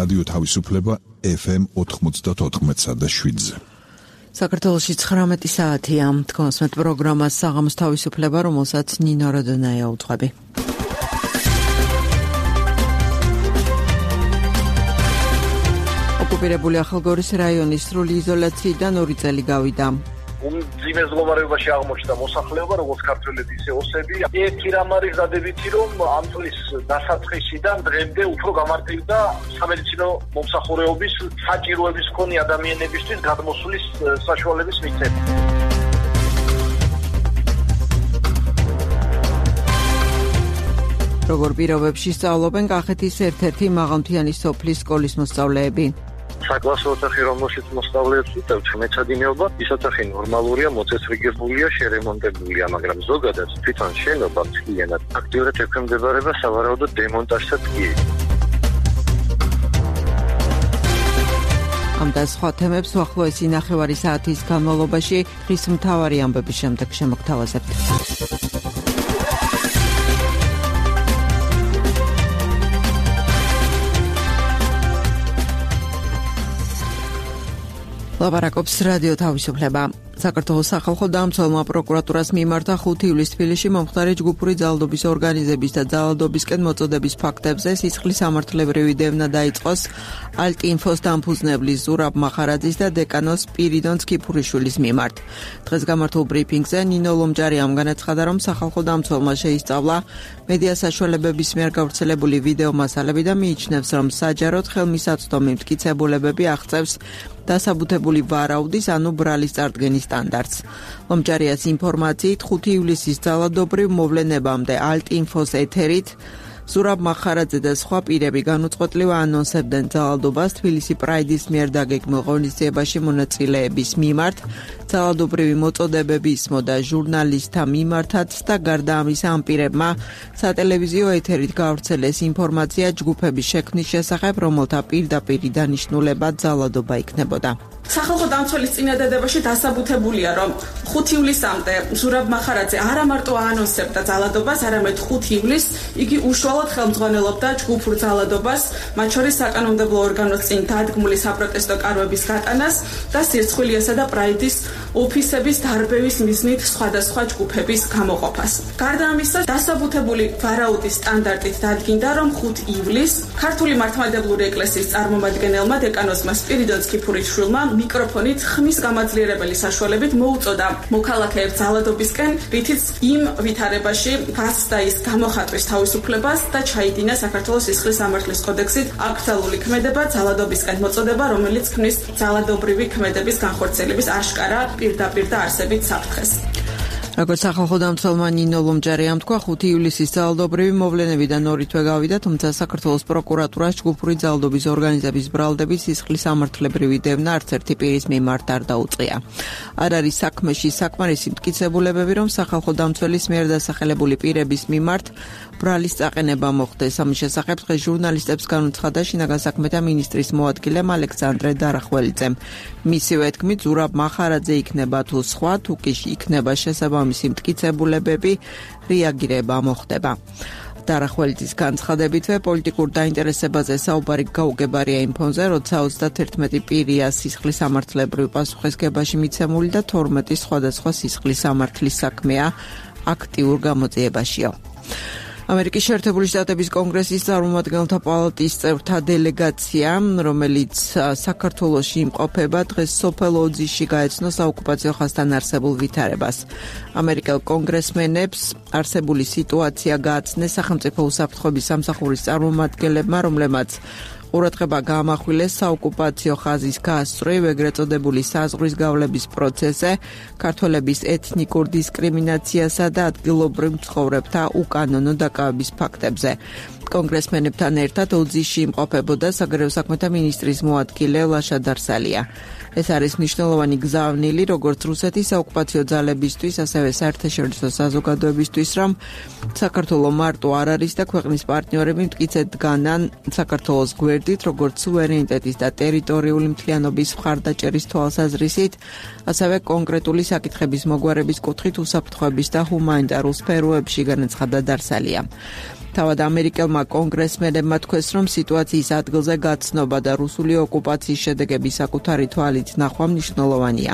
რადიო თავისუფლება FM 94.7-ზე. საქართველოში 19 საათია. თქვენს პროგრამას საღამოს თავისუფლება, რომელსაც ნინო როდონაია უძღვები. ოკუპირებული ახალგორის რაიონის სრული იზოლაციიდან 2 წელი გავიდა. მძიმე მდგომარეობაში აღმოჩნდა მოსახლეობა, როგორც ქართველები, ისე ოსები. ერთი რამ არის დადებითი, რომ ამ წლის დასაწყისიდან დღემდე უფრო გამარტივდა სამედიცინო მომსახურეობის საჭიროების მქონე ადამიანებისთვის გადმოსვლის საშუალების მიღწევა. როგორ პირობებში სწავლობენ კახეთის ერთ-ერთი მაღალმთიანი სოფლის სკოლის მოსწავლეები? საკლასო ოთახი, რომელშიც მოსწავლეებს უტევთ მეცადინეობა, ის ოთახი ნორმალურია, მოწესრიგებულია, შერემონტებულია, მაგრამ ზოგადად თვითონ შენობა მთლიანად აქტიურად ექვემდებარება სავარაუდო დემონტაჟსაც კი. ამ და სხვა თემებს უახლოესი ნახევარი საათის განმავლობაში დღის მთავარი ამბების შემდეგ შემოგთავაზებთ. ლაპარაკობს რადიო თავისუფლება. საქართველოს სახალხო დამცველმა პროკურატურას მიმართა 5 ივლისს თბილისში მომხდარი ჯგუფური ძალადობის ორგანიზების და ძალადობისკენ მოწოდების ფაქტებზე სისხლის სამართლებრივი დევნა დაიწყოს ალტინფოს დამფუძნებლის ზურაბ მახარაძის და დეკანოს სპირიდონ სკიფურიშვილის მიმართ. დღეს გამართულ ბრიფინგზე ნინო ლომჯარიამ განაცხადა, რომ სახალხო დამცველმა შეისწავლა მედია საშუალებების მიერ გავრცელებული ვიდეო მასალები და მიიჩნევს, რომ საჯაროდ ხელმისაწვდომი მტკიცებულებები აღწევს დასაბუთებული ვარაუდის, ანუ ბრალის წარდგენის სტანდარტს. ლომჯარიას ინფორმაციით 5 ივლისის ძალადობრივ მოვლენებამდე ალტინფოს ეთერით ზურაბ მახარაძე და სხვა პირები განუწყვეტლივ ანონსებდნენ ძალადობას თბილისი პრაიდის მიერ დაგეგმილ ღონისძიებაში მონაწილეების მიმართ, ძალადობრივი მოწოდებები ისმოდა ჟურნალისტთა მიმართაც და გარდა ამისა ამ პირებმა სატელევიზიო ეთერით გავრცელეს ინფორმაცია ჯგუფების შექმნის შესახებ, რომელთა პირდაპირ დანიშნულება ძალადობა იქნებოდა. სახალხო დამცველის წინადადებაში დასაბუთებულია, რომ 5 ივლისამდე ზურაბ მახარაძე არა მარტო აანონსებდა ძალადობას, არამედ 5 ივლისს იგი უშუალოდ ხელმძღვანელობდა ჯგუფურ ძალადობას, მათ შორის საკანონმდებლო ორგანოს წინ დადგმული საპროტესტო კარვების გატანას და სირცხვილიასა და პრაიდის ოფისების დარბევის მიზნით სხვადასხვა ჯგუფების გამოყოფას. გარდა ამისა, დასაბუთებული ვარაუდის სტანდარტით დადგინდა, რომ 5 ივლისს ქართული მართლმადიდებლური ეკლესიის წარმომადგენელმა დეკანოსმა სპირიდონ სკიფურიშვილმა მიკროფონით ხმის გამაძლიერებელი საშუალებით მოუწოდა მოქალაქეებს ძალადობისკენ, რითიც იმ ვითარებაში გასცდა ის გამოხატვის თავისუფლებას და ჩაიდინა საქართველოს სისხლის სამართლის კოდექსით აკრძალული ქმედება ძალადობისკენ მოწოდება, რომელიც ქმნის ძალადობრივი ქმედების განხორციელების აშკარა პირდაპირ და არსებით საფრთხეს. როგორც სახალხო დამცველმა ნინო ლომჯარიამ თქვა, 5 ივლისის ძალადობრივი მოვლენებიდან 2 თვე გავიდა, თუმცა საქართველოს პროკურატურას ჯგუფური ძალადობის ორგანიზების ბრალდების სისხლის სამართლებრივი დევნა არც ერთი პირის მიმართ არ დაუწყია. არ არის საქმეში საკმარისი მტკიცებულებები, რომ სახალხო დამცველის მიერ დასახელებული პირების მიმართ ბრალის წაყენება მოხდეს. ამის შესახებ დღეს ჟურნალისტებს განუცხადა შინაგან საქმეთა მინისტრის მოადგილემ ალექსანდრე დარახველიძემ. მისივე თქმით, ზურაბ მახარაძე იქნება თუ სხვა, თუ კი იქნება შესაბამისი მტკიცებულებები, რეაგირება მოხდება. დარახველიძის განცხადებითვე პოლიტიკურ დაინტერესებაზე საუბარი გაუგებარია იმ ფონზე, როცა 31 პირია სისხლის სამართლებრივ პასუხისგებაში მიცემული და 12 სხვადასხვა სისხლის სამართლის საქმეა აქტიურ გამოძიებაშია. ამერიკის შეერთებული შტატების კონგრესის წარმომადგენელთა პალატის წევრთა დელეგაცია, რომელიც საქართველოში იმყოფება, დღეს სოფელ ოძიში გაეცნო საოკუპაციო ხაზთან არსებულ ვითარებას. ამერიკელ კონგრესმენებს არსებული სიტუაცია გააცნეს სახელმწიფო უსაფრთხოების სამსახურის წარმომადგენლებმა, რომლებმაც ყურადღება გაამახვილეს საოკუპაციო ხაზის გასწვრივ, ეგრეთ წოდებული საზღვრის გავლების პროცესზე, ქართველების ეთნიკურ დისკრიმინაციასა და ადგილობრივ მცხოვრებთა უკანონო დაკავების ფაქტებზე. კონგრესმენებთან ერთად ოძიში იმყოფებოდა საგარეო საქმეთა მინისტრის მოადგილე ლაშა დარსალია. ეს არის მნიშვნელოვანი გზავნილი როგორც რუსეთის საოკუპაციო ძალებისთვის, ასევე საერთაშორისო საზოგადოებისთვის, რომ საქართველოს მარტო არ არის და ქვეყნის პარტნიორები მტკიცედ დგანან საქართველოს გვერდით, როგორც სუვერენიტეტის და ტერიტორიული მთლიანობის მხარდაჭერის თვალსაზრისით, ასევე კონკრეტული საკითხების მოგვარების კუთხით უსაფრთხოების და ჰუმანიტარულ სფეროებში, განაცხადა დარსალია. თავად ამერიკელმა კონგრესმენებმა თქვეს, რომ სიტუაციის ადგილზე გაცნობა და რუსული ოკუპაციის შედეგების საკუთარი თვალით ნახვა მნიშვნელოვანია.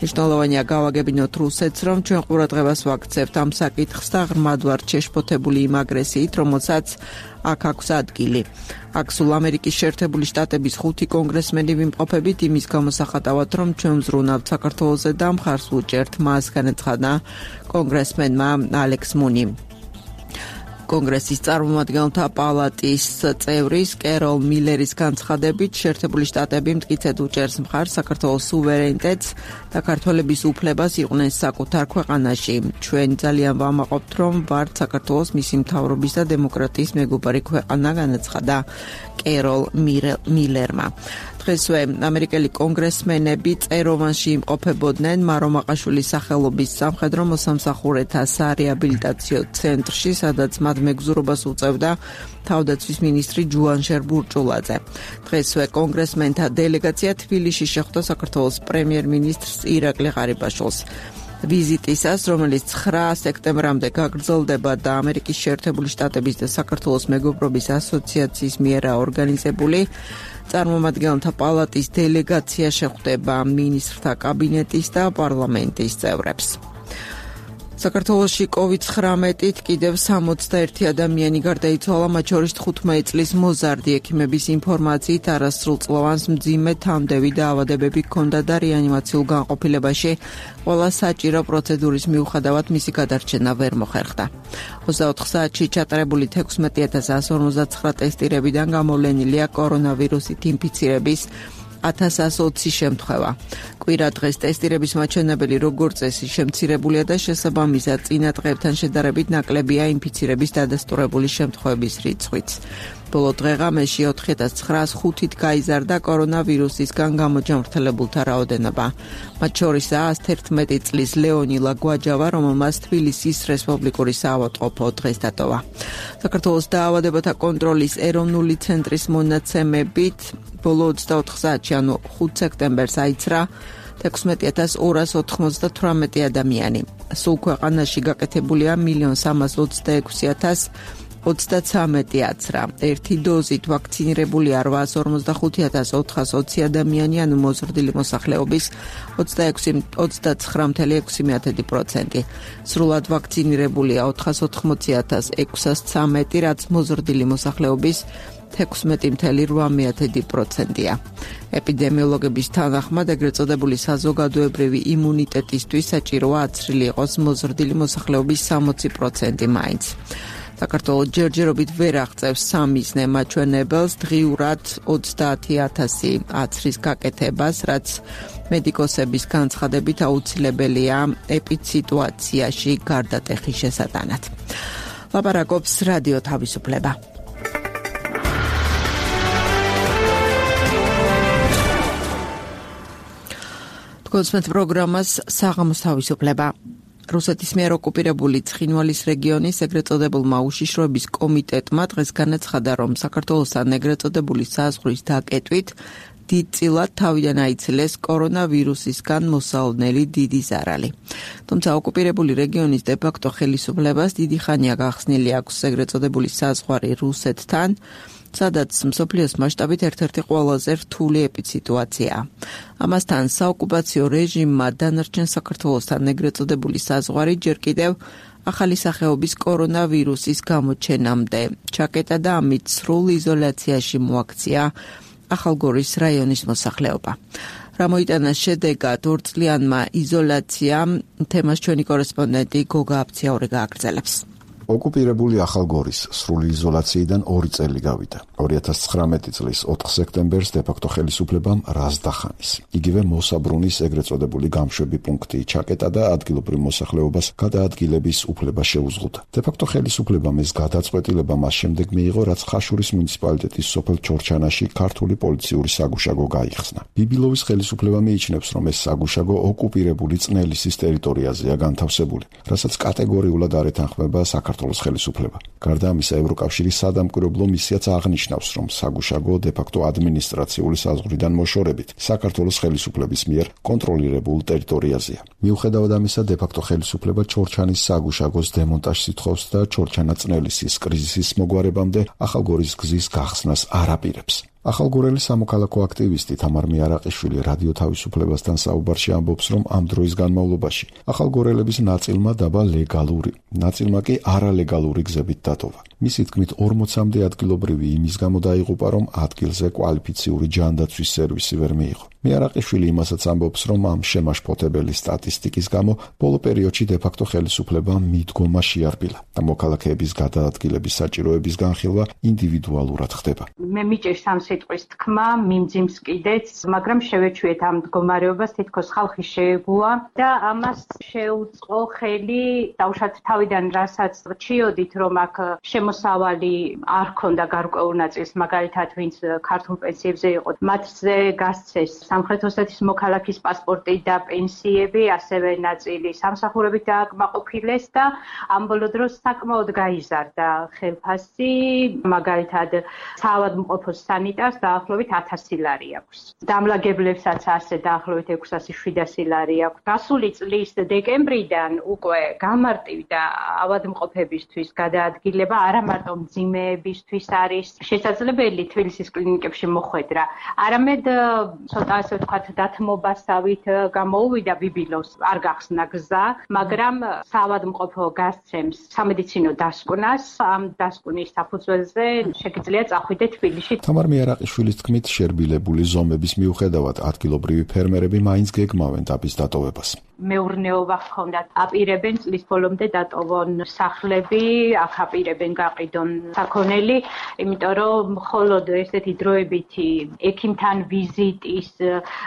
მნიშვნელოვანია გავაგებინოთ რუსეთს, რომ ჩვენ ყურადღებას ვაქცევთ ამ საკითხს და ღრმად ვართ შეშფოთებული იმ აგრესიით, რომელსაც აქ აქვს ადგილი. აქ სულ ამერიკის შეერთებული შტატების 5 კონგრესმენი ვიმყოფებით იმის გამოსახატავად, რომ ჩვენ ვზრუნავთ საქართველოზე და მხარს ვუჭერთ მას, განაცხადა კონგრესმენმა ალექს მუნი. კონგრესის წარმომადგენელთა პალატის წევრის კეროლ მილერის განცხადებით, შეერთებული შტატები მტკიცედ უჭერს მხარს საქართველოს სუვერენიტეტს და ქართველების უფლებას იყვნენ საკუთარ ქვეყანაში. ჩვენ ძალიან ვამაყობთ, რომ ვართ საქართველოს მისი მთავრობის და დემოკრატიის მეგობარი ქვეყანა, განაცხადა კეროლ მილერმა. დღესვე ამერიკელი კონგრესმენები წეროვანში იმყოფებოდნენ მარომაყაშვილის სახელობის სამხედრო მოსამსახურეთა სარეაბილიტაციო ცენტრში, სადაც მათ მეგზურობას უწევდა თავდაცვის მინისტრი ჯუანშერ ბურჭულაძე. დღესვე კონგრესმენთა დელეგაცია თბილისში შეხვდა საქართველოს პრემიერ-მინისტრს ირაკლი ღარიბაშვილს. ვიზიტისას, რომელიც 9 სექტემბრამდე გაგრძელდება და ამერიკის შეერთებული შტატების და საქართველოს მეგობრობის ასოციაციის მიერ ორგანიზებული, წარმომადგენელთა პალატის დელეგაცია შეხვდება მინისტრთა კაბინეტის და პარლამენტის წევრებს. საქართველოში COVID-19-ით კიდევ 61 ადამიანი გარდაიცვალა, მათ შორის 15 წლის მოზარდი. ექიმების ინფორმაციით არასრულწლოვანს მძიმე თამდევი დაავადებები ჰქონდა და რეანიმაციულ განყოფილებაში ყველა საჭირო პროცედურის მიუხედავად მისი გადარჩენა ვერ მოხერხდა. 24 საათში ჩატარებული 16149 ტესტირებიდან გამოვლენილია კორონავირუსით ინფიცირების 1120 შემთხვევა. კვირა დღეს ტესტირების მაჩვენებელი როგორც წესი შემცირებულია და შესაბამისად წინა დღეებთან შედარებით ნაკლებია ინფიცირების დადასტურებული შემთხვევების რიცხვიც. ბოლო დღეღამეში 4905-ით გაიზარდა კორონავირუსისგან გამოჯანმრთელებულთა რაოდენობა. მათ შორისაა 111 წლის ლეონილა გვაჯავა, რომელმაც თბილისის რესპუბლიკური საავადმყოფო დღეს დატოვა. საქართველოს დაავადებათა კონტროლის ეროვნული ცენტრის მონაცემებით ბოლო 24 საათში, ანუ 5 სექტემბერს აიცრა 16298 ადამიანი. სულ ქვეყანაში გაკეთებულია 1,326,023 აცრა. ერთი დოზით ვაქცინირებულია 855,420 ადამიანი, ანუ მოზრდილი მოსახლეობის 29,6%. სრულად ვაქცინირებულია 480,613, რაც მოზრდილი მოსახლეობის 16,8%-ია. ეპიდემიოლოგების თანახმად, ეგრეთ წოდებული საზოგადოებრივი იმუნიტეტისთვის საჭიროა აცრილი იყოს მოზრდილი მოსახლეობის 60% მაინც. საქართველოს ჯერჯერობით ვერ აღწევს სამიზნე მაჩვენებელს დღიურად 30,000 აცრის გაკეთებას, რაც მედიკოსების განცხადებით აუცილებელია ეპიდსიტუაციაში გარდატეხის შესატანად. ლაპარაკობს რადიო თავისუფლება. კონსმეთ პროგრამას საღამოს თავისუფლება. რუსეთის მიერ ოკუპირებული ცხინვალის რეგიონის ეგრეთ წოდებულმა უშიშროების კომიტეტმა დღეს განაცხადა, რომ საქართველოსთან ეგრეთ წოდებული საზღვრის დაკეტვით დიდწილად თავიდან აიცილეს კორონავირუსისგან მოსალოდნელი დიდი ზარალი. თუმცა ოკუპირებული რეგიონის დე-ფაქტო ხელისუფლებას დიდი ხანია გახსნილი აქვს ეგრეთ წოდებული საზღვარი რუსეთთან, სადაც მსოფლიოს მასშტაბით ერთ-ერთი ყველაზე რთული ეპიდსიტუაციაა. ამასთან საოკუპაციო რეჟიმმა დანარჩენ საქართველოსთან ეგრეთ წოდებული საზღვარი ჯერ კიდევ ახალი სახეობის კორონავირუსის გამოჩენამდე ჩაკეტა და ამით სრულ იზოლაციაში მოაქცია ახალგორის რაიონის მოსახლეობა. რა მოიტანა შედეგად ორწლიანმა იზოლაციამ, თემას ჩვენი კორესპონდენტი გოგა აფციაური გააგრძელებს. ოკუპირებული ახალგორის სრული იზოლაციიდან 2 წელი გავიდა. 2019 წლის 4 სექტემბერს დე-ფაქტო ხელისუფლებამ რაზდახანის, იგივე მოსაბრუნის ეგრეთ წოდებული გამშვები პუნქტი ჩაკეტა და ადგილობრივ მოსახლეობას გადაადგილების უფლება შეუზღუდა. დე-ფაქტო ხელისუფლებამ ეს გადაწყვეტილება მას შემდეგ მიიღო, რაც ხაშურის მუნიციპალიტეტის სოფელ ჩორჩანაში ქართული პოლიციური საგუშაგო გაიხსნა. ბიბილოვის ხელისუფლება მიიჩნევს, რომ ეს საგუშაგო ოკუპირებული წნელისის ტერიტორიაზეა განთავსებული, რასაც კატეგორიულად არ ეთანხმება საქართველოს საქართველოს ხელისუფლება. გარდა ამისა, ევროკავშირის სადამკვირვებლო მისიაც აღნიშნავს, რომ საგუშაგო დე-ფაქტო ადმინისტრაციული საზღვრიდან მოშორებით საქართველოს ხელისუფლების მიერ კონტროლირებულ ტერიტორიაზეა. მიუხედავად ამისა, დე-ფაქტო ხელისუფლება ჩორჩანის საგუშაგოს დემონტაჟს ითხოვს და ჩორჩანა-წნელისის კრიზისის მოგვარებამდე ახალგორის გზის გახსნას არ აპირებს. ახალგორელი სამოქალაქო აქტივისტი თამარ მიარაყიშვილი რადიო თავისუფლებასთან საუბარში ამბობს, რომ ამ დროის განმავლობაში ახალგორელების ნაწილმა დაბა ლეგალური, ნაწილმა კი არალეგალური გზებით დატოვა. მისი თქმით 40-მდე ადგილობრივი იმის გამო დაიღუპა, რომ ადგილზე კვალიფიციური ჯანდაცვის სერვისი ვერ მიიღო. მიარაყიშვილი იმასაც ამბობს, რომ ამ შემაშფოთებელი სტატისტიკის გამო ბოლო პერიოდში დე-ფაქტო ხელისუფლება მიდგომა შეარბილა და მოქალაქეების გადაადგილების საჭიროების განხილვა ინდივიდუალურად ხდება. მე მიჭირს ამ სიტყვის თქმა, მიმძიმს კიდეც, მაგრამ შევეჩვიეთ ამ მდგომარეობას, თითქოს ხალხი შეეგუა და ამას შეუწყო ხელი დაუშვათ თავიდან, რასაც რჩიოდით, რომ აქ მოსავალი არ ქონდა გარკვეულ ნაწილს, მაგალითად, ვინც ქართულ პენსიებზე იყო, მათზე გასცეს სამხრეთ ოსეთის მოქალაქის პასპორტი და პენსიები, ასევე ნაწილი სამსახურებით დააკმაყოფილეს და ამ ბოლო დროს საკმაოდ გაიზარდა ხელფასი, მაგალითად, საავადმყოფოს სანიტარს დაახლოებით 1000 ლარი აქვს. დამლაგებლებსაც ასე დაახლოებით 600-700 ლარი აქვს. გასული წლის დეკემბრიდან უკვე გამარტივდა ავადმყოფებისთვის გადაადგილება, არა მარტო მძიმეებისთვის არის შესაძლებელი თბილისის კლინიკებში მოხვედრა, არამედ ცოტა ასე ვთქვათ დათმობასავით გამოუვიდა ბიბილოს, არ გახსნა გზა, მაგრამ საავადმყოფო გასცემს სამედიცინო დასკვნას, ამ დასკვნის საფუძველზე შეგიძლია წახვიდე თბილისში. თამარ მიარაყიშვილის თქმით, შერბილებული ზომების მიუხედავად ადგილობრივი ფერმერები მაინც გეგმავენ დაბის დატოვებას. მეურნეობა ჰქონდათ, აპირებენ წლის ბოლომდე დატოვონ სახლები, აქ აპირებენ გაყიდონ საქონელი, იმიტომ რომ მხოლოდ ესეთი დროებითი ექიმთან ვიზიტის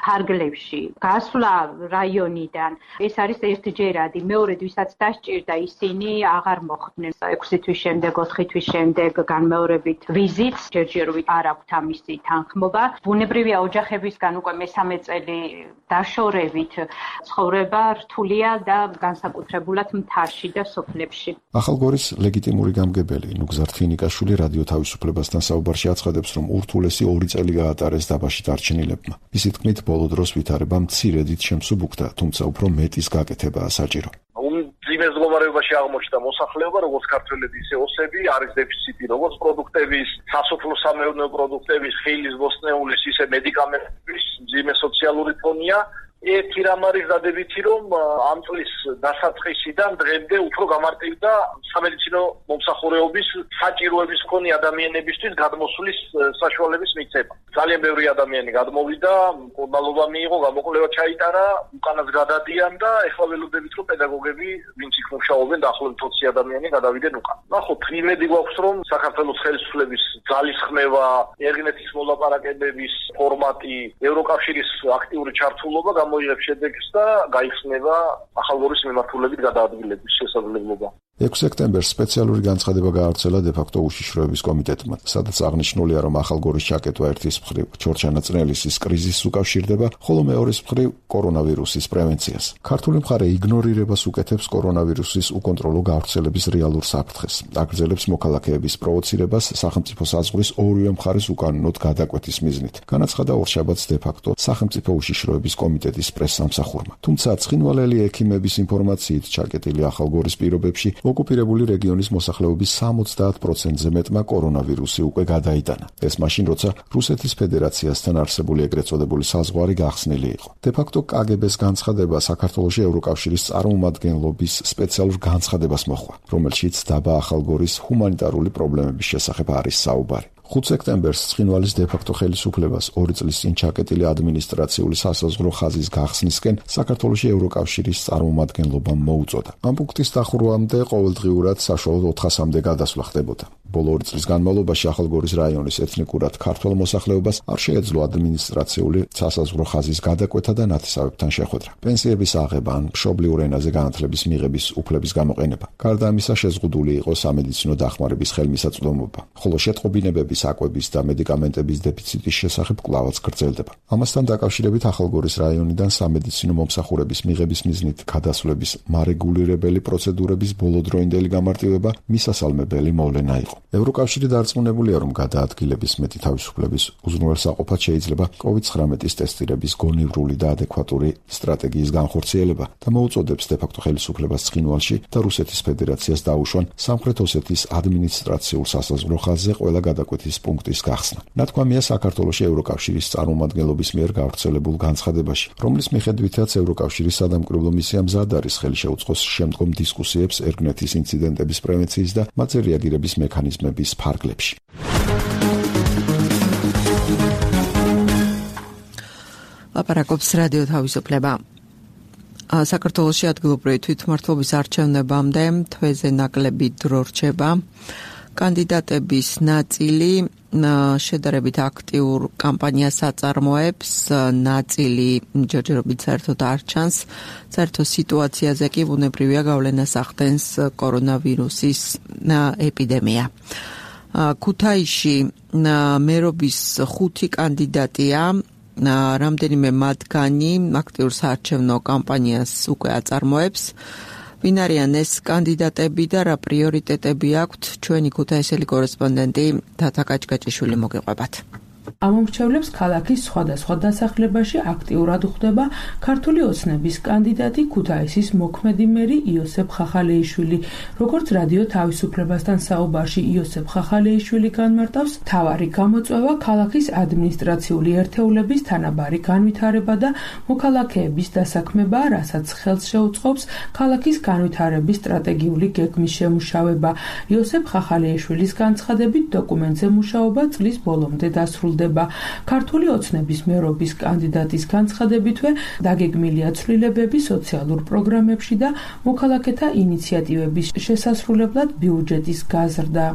ფარგლებში გასვლა რაიონიდან ეს არის ერთჯერადი, მეორედ ვისაც დასჭირდა ისინი აღარ მოხვდნენ. 6 თვის შემდეგ, 4 თვის შემდეგ განმეორებით ვიზიტს, ჯერჯერობით არ აქვთ ამისი თანხმობა. ბუნებრივია ოჯახებისგან უკვე მესამე წელი დაშორებით ცხოვრება რთულია და განსაკუთრებულად მთაში და სოფლებში. ახალგორის ლეგიტიმური გამგებელი ნუგზარ თინიკაშვილი რადიო თავისუფლებასთან საუბარში აცხადებს, რომ ურთულესი 2 წელი გაატარეს დაბაში დარჩენილებმა. მისი თქმით, ბოლო დროს ვითარება მცირედით შემსუბუქდა, თუმცა უფრო მეტის გაკეთებაა საჭირო. მძიმე მდგომარეობაში აღმოჩნდა მოსახლეობა, როგორც ქართველები, ისე ოსები, არის დეფიციტი როგორც პროდუქტების, სასოფლო-სამეურნეო პროდუქტების, ხილის, ბოსტნეულის, ისე მედიკამენტების, მძიმე სოციალური ფონია. ერთი რამ არის დადებითი, რომ ამ წლის დასაწყისიდან დღემდე უფრო გამარტივდა სამედიცინო მომსახურეობის საჭიროების მქონე ადამიანებისთვის გადმოსვლის საშუალების მიცემა. ძალიან ბევრი ადამიანი გადმოვიდა, მკურნალობა მიიღო, გამოკვლევა ჩაიტარა, უკანაც გადადიან და ეხლა ველოდებით, რომ პედაგოგები, ვინც იქ მუშაობენ, დაახლოებით 20 ადამიანი გადავიდნენ უკან. ნახოთ, იმედი გვაქვს, რომ საქართველოს ხელისუფლების ძალისხმევა, ერგინეთის მოლაპარაკებების ფორმატი, ევროკავშირის აქტიური ჩართულობა მოიღებს შედეგს და გაიხსნება ახალგორის მიმართულებით გადაადგილების შესაძლებლობა. 6 სექტემბერს სპეციალური განცხადება გაავრცელა დე-ფაქტო უშიშროების კომიტეტმა, სადაც აღნიშნულია, რომ ახალგორის ჩაკეტვა ერთის მხრივ ჩორჩანა-წნელისის კრიზისს უკავშირდება, ხოლო მეორეს მხრივ კორონავირუსის პრევენციას. ქართული მხარე იგნორირებას უკეთებს კორონავირუსის უკონტროლო გავრცელების რეალურ საფრთხეს, აგრძელებს მოქალაქეების პროვოცირებას სახელმწიფო საზღვრის ორივე მხარეს უკანონოდ გადაკვეთის მიზნით. განაცხადა ორშაბათს დე-ფაქტო სახელმწიფო უშიშროების კომიტეტის პრესსამსახურმა. თუმცა ცხინვალელი ექიმების ინფორმაციით ჩაკეტილი ახალგორის პირობებში ოკუპირებული რეგიონის მოსახლეობის 70%-ზე მეტმა კორონავირუსი უკვე გადაიტანა. ეს მაშინ, როცა რუსეთის ფედერაციასთან არსებული ეგრეთ წოდებული საზღვარი გახსნილი იყო. დე-ფაქტო კგბ-ს განცხადება საქართველოში ევროკავშირის წარმომადგენლობის სპეციალურ განცხადებას მოჰყვა, რომელშიც დაბა ახალგორის ჰუმანიტარული პრობლემების შესახებ არის საუბარი. 5 სექტემბერს ცხინვალის დე-ფაქტო ხელისუფლებას 2 წლის წინ ჩაკეტილი ადმინისტრაციული სასაზღვრო ხაზის გახსნისკენ საქართველოში ევროკავშირის წარმომადგენლობამ მოუწოდა. ამ პუნქტის დახურვამდე ყოველდღიურად საშუალოდ 400-მდე გადასვლა ხდებოდა. ბოლო 2 წლის განმავლობაში ახალგორის რაიონის ეთნიკურად ქართველ მოსახლეობას არ შეეძლო ადმინისტრაციული სასაზღვრო ხაზის გადაკვეთა და ნათესავებთან შეხვედრა. პენსიების აღება ან მშობლიურ ენაზე განათლების მიღების უფლების გამოყენება. გარდა ამისა, შეზღუდული იყო სამედიცინო დახმარების ხელმისაწვდომობა, ხოლო შეტყობინებები საკვების და მედიკამენტების დეფიციტის შესახებ კვლავაც გრძელდება. ამასთან დაკავშირებით ახალგორის რაიონიდან სამედიცინო მომსახურების მიღების მიზნით გადასვლების მარეგულირებელი პროცედურების ბოლოდროინდელი გამარტივება მისასალმებელი მოვლენა იყო. ევროკავშირი დარწმუნებულია, რომ გადაადგილების მეტი თავისუფლების უზრუნველსაყოფად შეიძლება COVID-19 ტესტირების გონივრული და ადეკვატური სტრატეგიის განხორციელება და მოუწოდებს დე-ფაქტო ხელისუფლებას ცხინვალში და რუსეთის ფედერაციას დაუშვან სამხრეთ ოსეთის ადმინისტრაციულ სასაზღვრო ხაზზე ყველა გადაკვეთის პუნქტის გახსნა. ნათქვამია საქართველოში ევროკავშირის წარმომადგენლობის მიერ გავრცელებულ განცხადებაში, რომლის მიხედვითაც ევროკავშირის სადამკვირვებლო მისია მზად არის ხელი შეუწყოს შემდგომ დისკუსიებს ერგნეთის ინციდენტების პრევენციის და მათზე რეაგირების მექანიზმების ფარგლებში. ლაპარაკობს რადიო თავისუფლება. საქართველოში ადგილობრივი თვითმმართველობის არჩევნებამდე თვეზე ნაკლები დრო რჩება. კანდიდატების ნაწილი შედარებით აქტიურ კამპანიას აწარმოებს, ნაწილი ჯერჯერობით საერთოდ არ ჩანს. საერთო სიტუაციაზე კი ბუნებრივია გავლენას ახდენს კორონავირუსის ეპიდემია. ქუთაისში მერობის 5 კანდიდატია. რამდენიმე მათგანი აქტიურ საარჩევნო კამპანიას უკვე აწარმოებს. ვინ არიან ეს კანდიდატები და რა პრიორიტეტები აქვთ, ჩვენი ქუთაისელი კორესპონდენტი თათა კაჭკაჭიშვილი მოგიყვებათ. ამომრჩევლებს ქალაქის სხვადასხვა დასახლებაში აქტიურად ხვდება ქართული ოცნების კანდიდატი ქუთაისის მოქმედი მერი იოსებ ხახალეიშვილი. როგორც რადიო თავისუფლებასთან საუბარში იოსებ ხახალეიშვილი განმარტავს, მთავარი გამოწვევა ქალაქის ადმინისტრაციული ერთეულების თანაბარი განვითარება და მოქალაქეების დასაქმება, რასაც ხელს შეუწყობს ქალაქის განვითარების სტრატეგიული გეგმის შემუშავება. იოსებ ხახალეიშვილის განცხადებით, დოკუმენტზე მუშაობა წლის ბოლომდე დასრულდება. ქართული ოცნების მერობის კანდიდატის განცხადებითვე დაგეგმილია ცვლილებები სოციალურ პროგრამებში და მოქალაქეთა ინიციატივების შესასრულებლად ბიუჯეტის გაზრდა.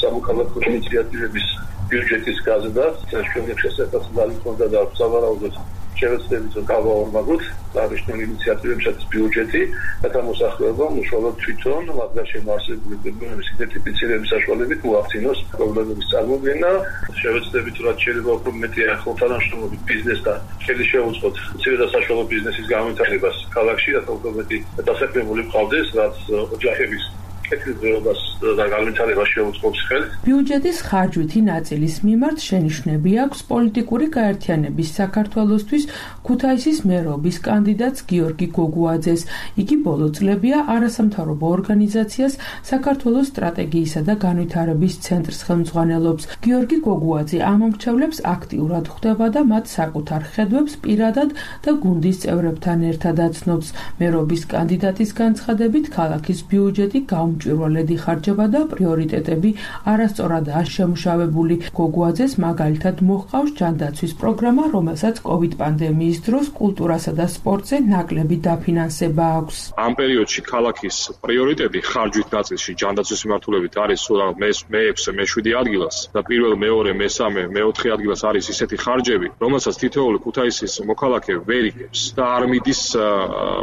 სამოქალაქო ინიციატივების ბიუჯეტის გაზრდა ჩვენი შესაძლებლობა ჰქონდა და სავარაუდოდ შევეცდებით რომ გავაორმაგოთ აღნიშნული ინიციატივებსაც ბიუჯეტი და გამოსახულება უშუალოდ თვითონ მათგან შემოარსებული პრობლემების იდენტიფიცირების საშუალებით უახცინოს პრობლემების წარმოქმნა. შევეცდებით რაც შეიძლება უფრო მეტი ახლთანამშრომლობით ბიზნესთან ხელი შეუწყოთ მცირე და საშუალო ბიზნესის განვითარებას ქალაქში, რათა უფრო მეტი დასაქმებული მყავდეს, რაც ოჯახების კეთილდღეობას და განვითარებას შეუწყობს ხელს. ბიუჯეტის ხარჯვითი ნაწილის მიმართ შენიშვნები აქვს პოლიტიკური გაერთიანების საქართველოსთვის ქუთაისის მერობის კანდიდატს გიორგი გოგუაძეს. იგი ბოლო წლებია არასამთავრობო ორგანიზაციას საქართველოს სტრატეგიისა და განვითარების ცენტრს ხელმძღვანელობს. გიორგი გოგუაძე ამომრჩევლებს აქტიურად ხვდება და მათ საკუთარ ხედვებს პირადად და გუნდის წევრებთან ერთად აცნობს. მერობის კანდიდატის განცხადებით, ქალაქის ბიუჯეტი მჭვირვალედ იხარჯება და პრიორიტეტები არასწორადაა შემუშავებული. გოგუაძეს მაგალითად მოჰყავს ჯანდაცვის პროგრამა, რომელსაც COVID პანდემიის დროს კულტურასა და სპორტზე ნაკლები დაფინანსება აქვს. ამ პერიოდში ქალაქის პრიორიტეტი ხარჯვით ნაწილში ჯანდაცვის მიმართულებით არის სულ მე-6, მე-7 ადგილას და პირველ, მეორე, მესამე, მე-4 ადგილას არის ისეთი ხარჯები, რომელსაც თითოეული ქუთაისის მოქალაქე ვერ იგებს და არ მიდის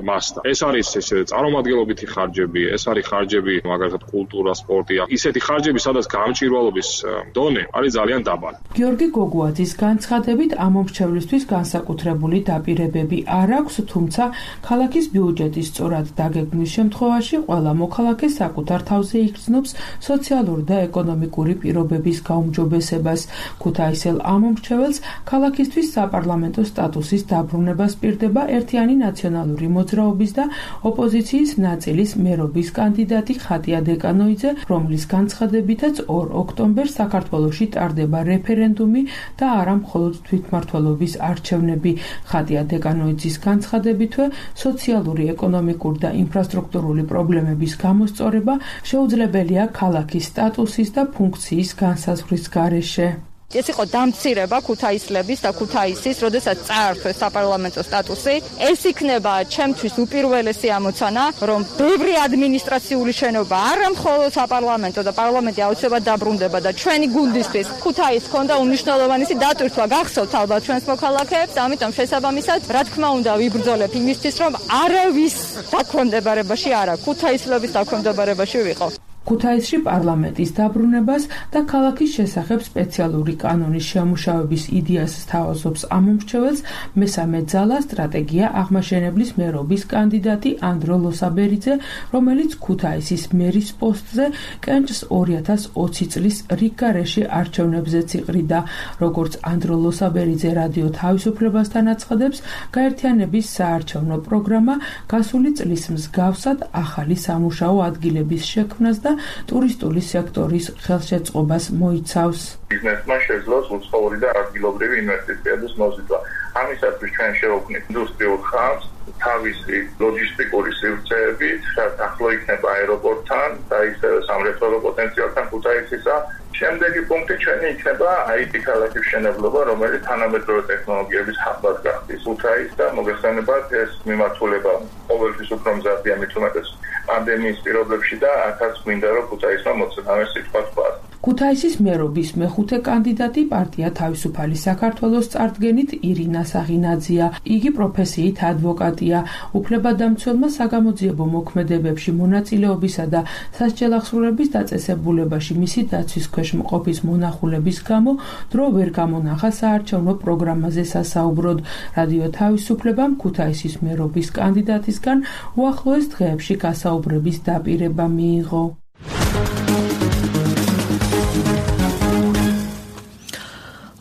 მასთან. ეს არის ესე წარმომადგენლობითი ხარჯები, ეს არის ხარჯები მაგალითად კულტურა, სპორტი, ისეთი ხარჯები, სადაც გამჭვირვალობის დონე არის ძალიან დაბალი. გიორგი გოგუაძის განცხადებით, ამომრჩევლისთვის განსაკუთრებული დაპირებები არ აქვს, თუმცა ქალაქის ბიუჯეტის სწორად დაგეგმვის შემთხვევაში ყველა მოქალაქე საკუთარ თავზე იგრძნობს სოციალური და ეკონომიკური პირობების გაუმჯობესებას. ქუთაისელ ამომრჩეველს ქალაქისთვის საპარლამენტო სტატუსის დაბრუნება სპირდება ერთიანი ნაციონალური მოძრაობის და ოპოზიციის ნაწილის მერობის კანდიდატი ხატია დეკანოიძე, რომლის განცხადებითაც 2 ოქტომბერს საქართველოში ტარდება რეფერენდუმი და არა მხოლოდ თვითმმართველობის არჩევნები. ხატია დეკანოიძის განცხადებითვე სოციალური, ეკონომიკური და ინფრასტრუქტურული პრობლემების გამოსწორება შეუძლებელია ქალაქის სტატუსის და ფუნქციის განსაზღვრის გარეშე. ეს იყო დამცირება ქუთაისლების და ქუთაისის, როდესაც წაართვეს საპარლამენტო სტატუსი. ეს იქნება ჩემთვის უპირველესი ამოცანა, რომ ბევრი ადმინისტრაციული შენობა, არა მხოლოდ საპარლამენტო და პარლამენტი აუცილებლად დაბრუნდება და ჩვენი გუნდისთვის ქუთაისს ჰქონდა უმნიშვნელოვანესი დატვირთვა გახსოვთ ალბათ ჩვენს მოქალაქეებს, ამიტომ შესაბამისად, რა თქმა უნდა, ვიბრძოლებ იმისთვის, რომ არავის დაქვემდებარებაში არა, ქუთაისლების დაქვემდებარებაში ვიყო. ქუთაისში პარლამენტის დაბრუნებას და ქალაქის შესახებ სპეციალური კანონის შემუშავების იდეას სთავაზობს ამომრჩეველს მესამე ძალა სტრატეგია აღმაშენებლის მერობის კანდიდატი ანდრო ლოსაბერიძე, რომელიც ქუთაისის მერის პოსტზე კენჭს 2020 წლის რიგგარეში არჩევნებზეც იყრიდა. როგორც ანდრო ლოსაბერიძე რადიო თავისუფლებასთან აცხადებს, გაერთიანების საარჩევნო პროგრამა გასული წლის მსგავსად ახალი სამუშაო ადგილების შექმნას და ტურისტული სექტორის ხელშეწყობას მოიცავს. ბიზნესმა შეძლოს უცხოური და ადგილობრივი ინვესტიციების მოზიდვა. ამისათვის ჩვენ შევქმნით ინდუსტრიულ ხაზს თავისი ლოჯისტიკური სივრცეებით, რაც ახლო იქნება აეროპორტთან და ისევე სამრეწველო პოტენციალთან ქუთაისისა. შემდეგი პუნქტი ჩვენი იქნება IT ქალაქის მშენებლობა, რომელიც თანამედროვე ტექნოლოგიების ჰაბად გახდის ქუთაისს და მოგეხსენებათ ეს მიმართულება ყოველთვის უფრო მზარდია მით უმეტეს პანდემიის პირობებში და აქაც გვინდა რომ ქუთაისმა მოწინავე სიტყვა თქვა. ქუთაისის მერობის მეხუთე კანდიდატი პარტია თავისუფალი საქართველოს წარდგენით ირინა საღინაძეა. იგი პროფესიით ადვოკატია. უფლებადამცველმა საგამოძიებო მოქმედებებში მონაწილეობისა და სასჯელახსრულების დაწესებულებაში მისი დაცვის ქვეშ მყოფის მონახულების გამო დრო ვერ გამონახა საარჩევნო პროგრამაზე სასაუბროდ. რადიო თავისუფლებამ ქუთაისის მერობის კანდიდატისგან უახლოეს დღეებში გასაუბრების დაპირება მიიღო.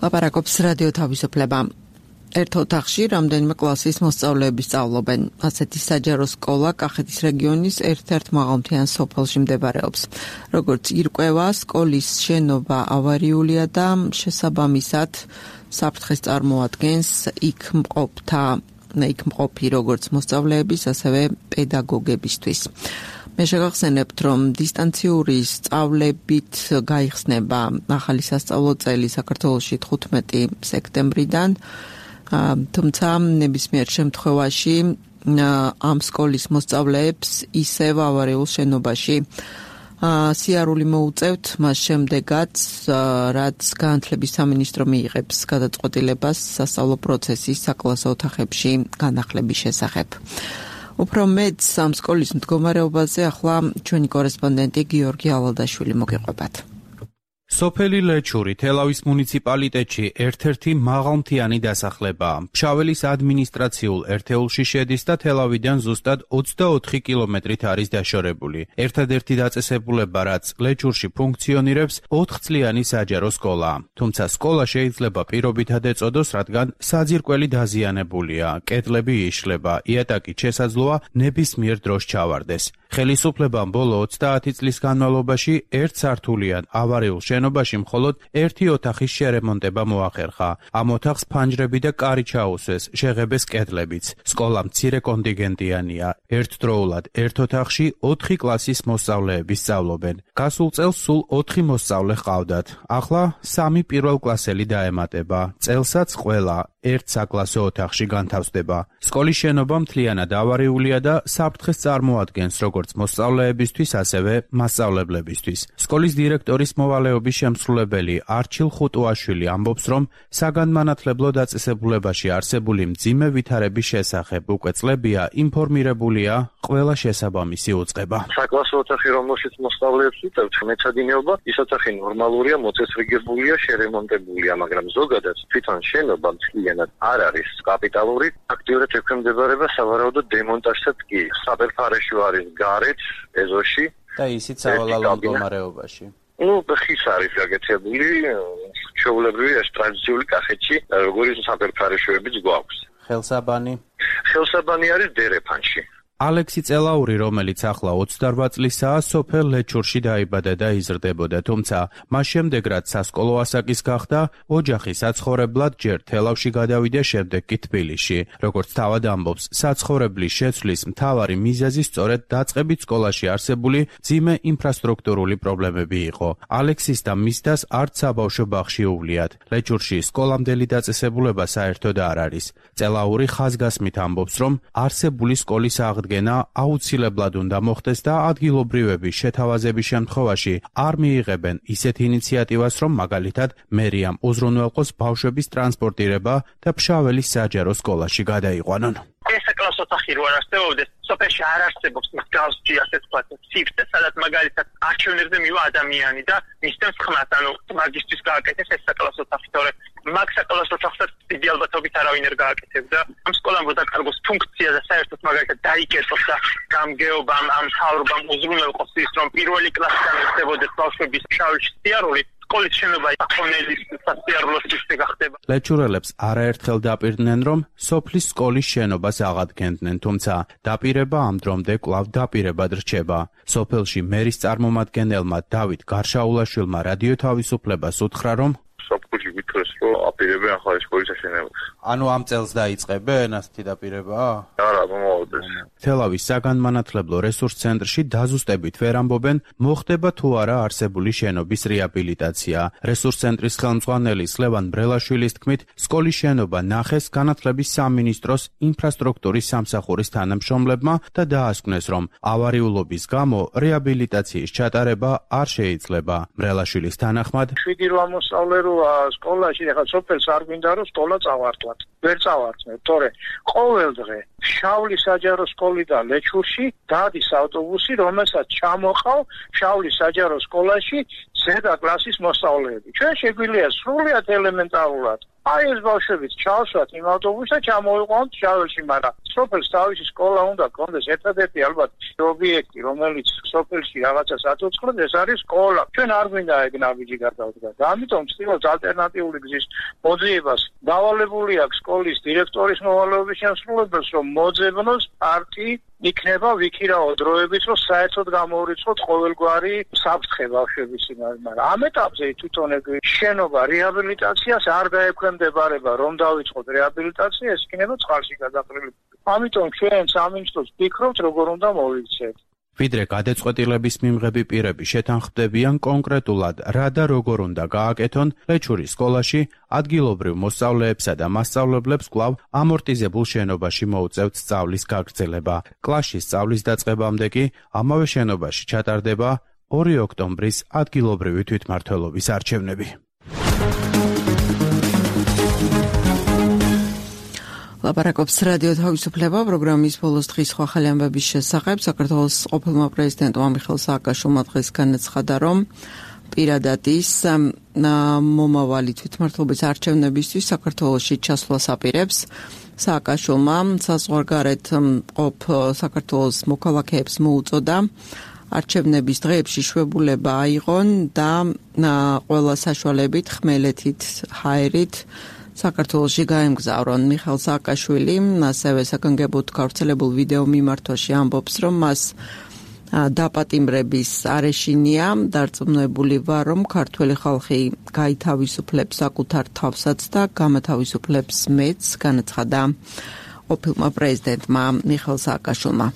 ლაპარაკობს რადიო თავისუფლება. ერთ ოთახში რამდენიმე კლასის მოსწავლეები სწავლობენ. ასეთი საჯარო სკოლა კახეთის რეგიონის ერთ-ერთ მაღალმთიან სოფელში მდებარეობს. როგორც ირკვევა, სკოლის შენობა ავარიულია და შესაბამისად საფრთხეს წარმოადგენს იქ მყოფი როგორც მოსწავლეების, ასევე პედაგოგებისთვის. მე შეგახსენებთ, რომ დისტანციური სწავლებით გაიხსნება ახალი სასწავლო წელი საქართველოში 15 სექტემბრიდან, თუმცა ნებისმიერ შემთხვევაში ამ სკოლის მოსწავლეებს ისევ ავარიულ შენობაში სიარული მოუწევთ მას შემდეგაც, რაც განათლების სამინისტრო მიიღებს გადაწყვეტილებას სასწავლო პროცესის საკლასო ოთახებში განახლების შესახებ. უფრო მეტს ამ სკოლის მდგომარეობაზე ახლა ჩვენი კორესპონდენტი გიორგი ალადაშვილი მოგეყვებათ. სოფელი ლეჩური თელავის მუნიციპალიტეტში ერთ-ერთი მაღალმთიანი დასახლებაა. ფშაველის ადმინისტრაციულ ერთეულში შედის და თელავიდან ზუსტად 24 კილომეტრით არის დაშორებული. ერთადერთი დაწესებულება, რაც ლეჩურში ფუნქციონირებს, 4 წლიანი საჯარო სკოლაა. თუმცა სკოლა შეიძლება პირობითად ეწოდოს, რადგან საძირკველი დაზიანებულია, კედლები იშლება, იატაკით შესაძლოა ნებისმიერ დროს ჩავარდეს. ხელისუფლებამ ბოლო 30 წლის განმავლობაში ერთსართულიან ავარიულ შენობაში მხოლოდ ერთი ოთახის შერემონტება მოახერხა. ამ ოთახს ფანჯრები და კარი ჩაუსვეს, შეღებეს კედლებიც. სკოლა მცირე კონტინგენტიანია. ერთდროულად ერთ ოთახში 4 კლასის მოსწავლეები სწავლობენ. გასულ წელს სულ 4 მოსწავლე ჰყავდათ. ახლა 3 პირველკლასელი დაემატება. წელსაც ყველა ერთ საკლასო ოთახში განთავსდება. სკოლის შენობა მთლიანად ავარიულია და საფრთხეს წარმოადგენს როგორც მოსწავლეებისთვის, ასევე მასწავლებლებისთვის. სკოლის დირექტორის მოვალეობის შემსრულებელი არჩილ ხუტუაშვილი ამბობს, რომ საგანმანათლებლო დაწესებულებაში არსებული მძიმე ვითარების შესახებ უკვე წლებია ინფორმირებულია ყველა შესაბამისი უწყება. საკლასო ოთახი, რომელშიც მოსწავლეებს უწევთ მეცადინეობა, ის ოთახი ნორმალურია, მოწესრიგებულია, შერემონტებულია, მაგრამ ზოგადად თვითონ შენობა მთლიანად არ არის კაპიტალური. აქტიურად ექვემდებარება სავარაუდო დემონტაჟსაც კი. საფერფარეშო არის გარეთ, ეზოში და ისიც სავალალო მდგომარეობაში. ხის არის გაკეთებული, ჩვეულებრივი ეს ტრადიციული კახეთში, როგორც საფერფარეშოებიც გვაქვს. ხელსაბანი არის დერეფანში. ალექსი წელაური, რომელიც ახლა 28 წლისაა, სოფელ ლეჩურში დაიბადა და იზრდებოდა, თუმცა მას შემდეგ, რაც სასკოლო ასაკის გახდა, ოჯახი საცხოვრებლად ჯერ თელავში გადავიდა, შემდეგ კი თბილისში. როგორც თავად ამბობს, საცხოვრებლის შეცვლის მთავარი მიზეზი სწორედ დაწყებით სკოლაში არსებული მძიმე ინფრასტრუქტურული პრობლემები იყო. ალექსის და მის დას არც საბავშვო ბაღში უვლიათ. ლეჩურში სკოლამდელი დაწესებულება საერთოდ არ არის. წელაური ხაზგასმით ამბობს, რომ არსებული სკოლის აღდგენა აუცილებლად უნდა მოხდეს და ადგილობრივების შეთავაზების შემთხვევაში არ მიიღებენ ისეთ ინიციატივას, რომ მაგალითად მერიამ უზრუნველყოს ბავშვების ტრანსპორტირება და ფშაველის საჯარო სკოლაში გადაიყვანონ. ეს საკლასო საკლას ოთახი რო არ არსებობდეს, სოფელში არ არსებობს მსგავსი ასე ვთქვათ, სიფრტე, სადაც მაგალითად არჩევნებზე მივა ადამიანი და მისცემს ხმას, ანუ მაგისტრის გააკეთეს ეს საკლას ოთახი, თორემ მაგ საკლას ოთახსაც დიდი ალბათობით არავინ არ გააკეთებდა. ამ სკოლამ გადაკარგოს ფუნქცია და საერთოდ მაგალითად დაიკეტოს და გამგეობამ ამ მთავრობამ უზრუნველყოს ის, რომ პირველი კლასიდან ეცდებოდეს ბავშვების შავრში სიარული. სკოლის შენობა ახონელის სასიარულოს ისე გახდება. ლეჩურელებს არაერთხელ დაპირდნენ, რომ სოფლის სკოლის შენობას აღადგენდნენ, თუმცა დაპირება ამ დრომდე კვლავ დაპირებად რჩება. სოფელში მერის წარმომადგენელმა დავით გარშაულაშვილმა რადიო თავისუფლებას უთხრა, რომ საფუძველი ვითხრეს, რომ აპირებენ ახალი სკოლის აშენებას. ანუ ამ წელს დაიწყებენ ასეთი დაპირება? არა, მომავალს. თელავის საგანმანათლებლო რესურს ცენტრში დაზუსტებით ვერ ამბობენ, მოხდება თუ არა არსებული შენობის რეაბილიტაცია. რესურს ცენტრის ხელმძღვანელი ლევან ბრელაშვილის თქმით, სკოლის შენობა ნახეს განათლების სამინისტროს ინფრასტრუქტურის სამსახურის თანამშრომლებმა და დაასკვნეს, რომ ავარიულობის გამო რეაბილიტაციის ჩატარება არ შეიძლება. ბრელაშვილის თანახმად, 7 მოსწავლე სკოლაში ახლა სოფელს არ გვინდა რომ სკოლა წავართვათ. ვერ წავართმევთ, თორე ყოველ დღე შავლის საჯარო სკოლიდან ლეჩურში დადის ავტობუსი, რომელსაც ჩამოყავ შავლის საჯარო სკოლაში ზედა კლასის მოსწავლეები. ჩვენ შეგვიძლია სრულიად ელემენტარულად აი ეს ბავშვებიც ჩავსვათ იმ ავტობუსს და ჩამოვიყვანოთ შაველში, მაგრამ სოფელს თავისი სკოლა უნდა გქონდეს. ერთადერთი ალბათ ობიექტი, რომელიც სოფელში რაღაცას აწუწყლებს, ეს არის სკოლა. ჩვენ არ გვინდა ეგ ნაბიჯი გადავდგათ. ამიტომ ვცდილობთ ალტერნატიული გზის მოძიებას. დავალებული აქვს სკოლის დირექტორის მოვალეობის შემსრულებელს, რომ მოძებნოს პარტი იქნება ვიქირაო დროებით, რომ საერთოდ გამოურიცხოთ ყოველგვარი საფრთხე ბავშვების იმაზე, მაგრამ ამ ეტაპზე თვითონ ეგ შენობა რეაბილიტაციას არ გაექვემდებარება, რომ დავიწყოთ რეაბილიტაცია, ეს იქნება წყალში გადაყრილი. ამიტომ ჩვენ სამინისტროს ვფიქრობთ, როგორ უნდა მოვიქცეთ. ვიდრე გადაწყვეტილების მიმღები პირები შეთანხმდებიან კონკრეტულად რა და როგორ უნდა გააკეთონ, ლეჩურის სკოლაში ადგილობრივ მოსწავლეებსა და მასწავლებლებს კვლავ ამორტიზებულ შენობაში მოუწევთ სწავლის გაგრძელება. კლასში სწავლის დაწყებამდე კი ამავე შენობაში ჩატარდება 2 ოქტომბრის ადგილობრივი თვითმმართველობის არჩევნები. ლაპარაკობს რადიო თავისუფლება პროგრამის ბოლოს დღის სხვა ხელი ამბების შესახებ. საქართველოს ყოფილმა პრეზიდენტმა მიხეილ სააკაშვილმა დღეს განაცხადა, რომ პირადად ის მომავალი თვითმმართველობის არჩევნებისთვის საქართველოში ჩასვლას აპირებს. სააკაშვილმა საზღვარგარეთ მყოფ საქართველოს მოქალაქეებს მოუწოდა არჩევნების დღეებში შვებულება აიღონ და ყველა საშუალებით ხმელეთით, ჰაერით საქართველოში გაემგზავრონ. მიხეილ სააკაშვილი ასევე საგანგებოდ გავრცელებულ ვიდეო მიმართვაში ამბობს, რომ მას დაპატიმრების არეშინია, დარწმუნებული ვარ, რომ ქართველი ხალხი გაითავისუფლებს საკუთარ თავსაც და გამათავისუფლებს მეც, განაცხადა ყოფილმა პრეზიდენტმა მიხეილ სააკაშვილმა.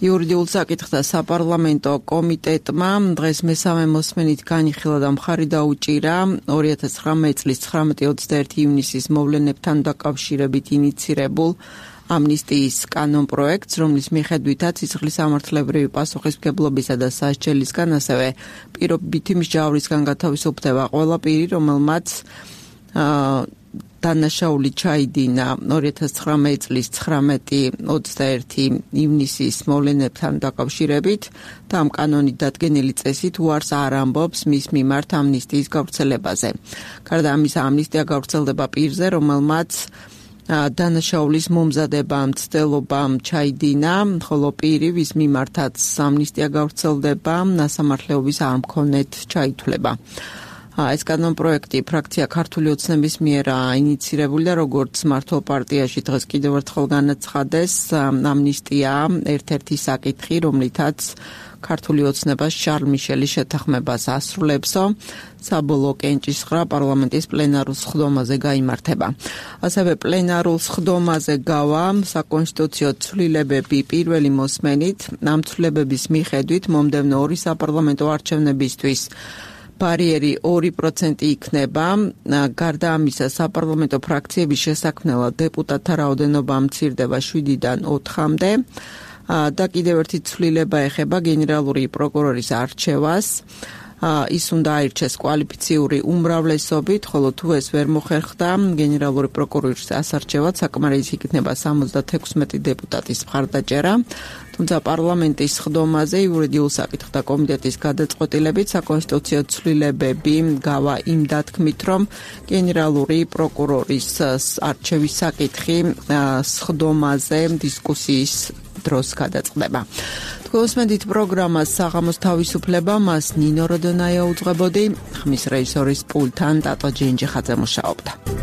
იურიდიულ საკითხთა საპარლამენტო კომიტეტმა დღეს მესამე მოსმენით განიხილა და მხარი დაუჭირა 2019 წლის 19-21 ივნისის მოვლენებთან დაკავშირებით ინიცირებულ ამნისტიის კანონპროექტს, რომლის მიხედვითაც სისხლის სამართლებრივი პასუხისმგებლობისა და სასჯელისგან, ასევე პირობითი მსჯავრისგან გათავისუფლდება ყველა პირი, რომელმაც დანაშაული ჩაიდინა 2019 წლის 19-21 ივნისის მოვლენებთან დაკავშირებით და ამ კანონით დადგენილი წესით უარს არ ამბობს მის მიმართ ამნისტიის გავრცელებაზე. გარდა ამისა, ამნისტია გავრცელდება პირზე, რომელმაც დანაშაულის მომზადება მცდელობა ჩაიდინა, ხოლო პირი, ვის მიმართაც ამნისტია გავრცელდება, ნასამართლეობის არ მქონეთ ჩაითვლება. ეს კანონპროექტი ფრაქცია ქართული ოცნების მიერ ინიცირებული და როგორც მართლ პარტიაში დღეს კიდევ ერთხელ განაცხადეს, ამნისტია ერთ-ერთი საკითხი, რომლითაც ქართული ოცნება შარლ მიშელის შეთანხმებას ასრულებსო, საბოლოო კენჭისყრა პარლამენტის პლენარულ სხდომაზე გაიმართება. ასევე პლენარულ სხდომაზე გავა საკონსტიტუციო ცვლილებები პირველი მოსმენით, ამ ცვლილებების მიხედვით მომდევნო 2 საპარლამენტო არჩევნებისთვის ბარიერი 2% იქნება. გარდა ამისა, საპარლამენტო ფრაქციების შესაქმნელად დეპუტატთა რაოდენობა მცირდება 7-დან 4-მდე და კიდევ ერთი ცვლილება ეხება გენერალური პროკურორის არჩევას. ის უნდა აირჩეს კვალიფიციური უმრავლესობით, ხოლო თუ ეს ვერ მოხერხდა, გენერალური პროკურორის ასარჩევად საკმარისი იქნება 76 დეპუტატის მხარდაჭერა. თუმცა პარლამენტის სხდომაზე იურიდიულ საკითხთა კომიტეტის გადაწყვეტილებით საკონსტიტუციო ცვლილებები გავა იმ დათქმით, რომ გენერალური პროკურორის არჩევის საკითხი სხდომაზე დისკუსიის დროს გადაწყდება. თქვენსმენდით პროგრამას საღამოს თავისუფლება, მას ნინო როდონაია უძღვებოდი, ხმის რეჟისორის პულტთან ტატო ჯენჯიხაძე მუშაობდა.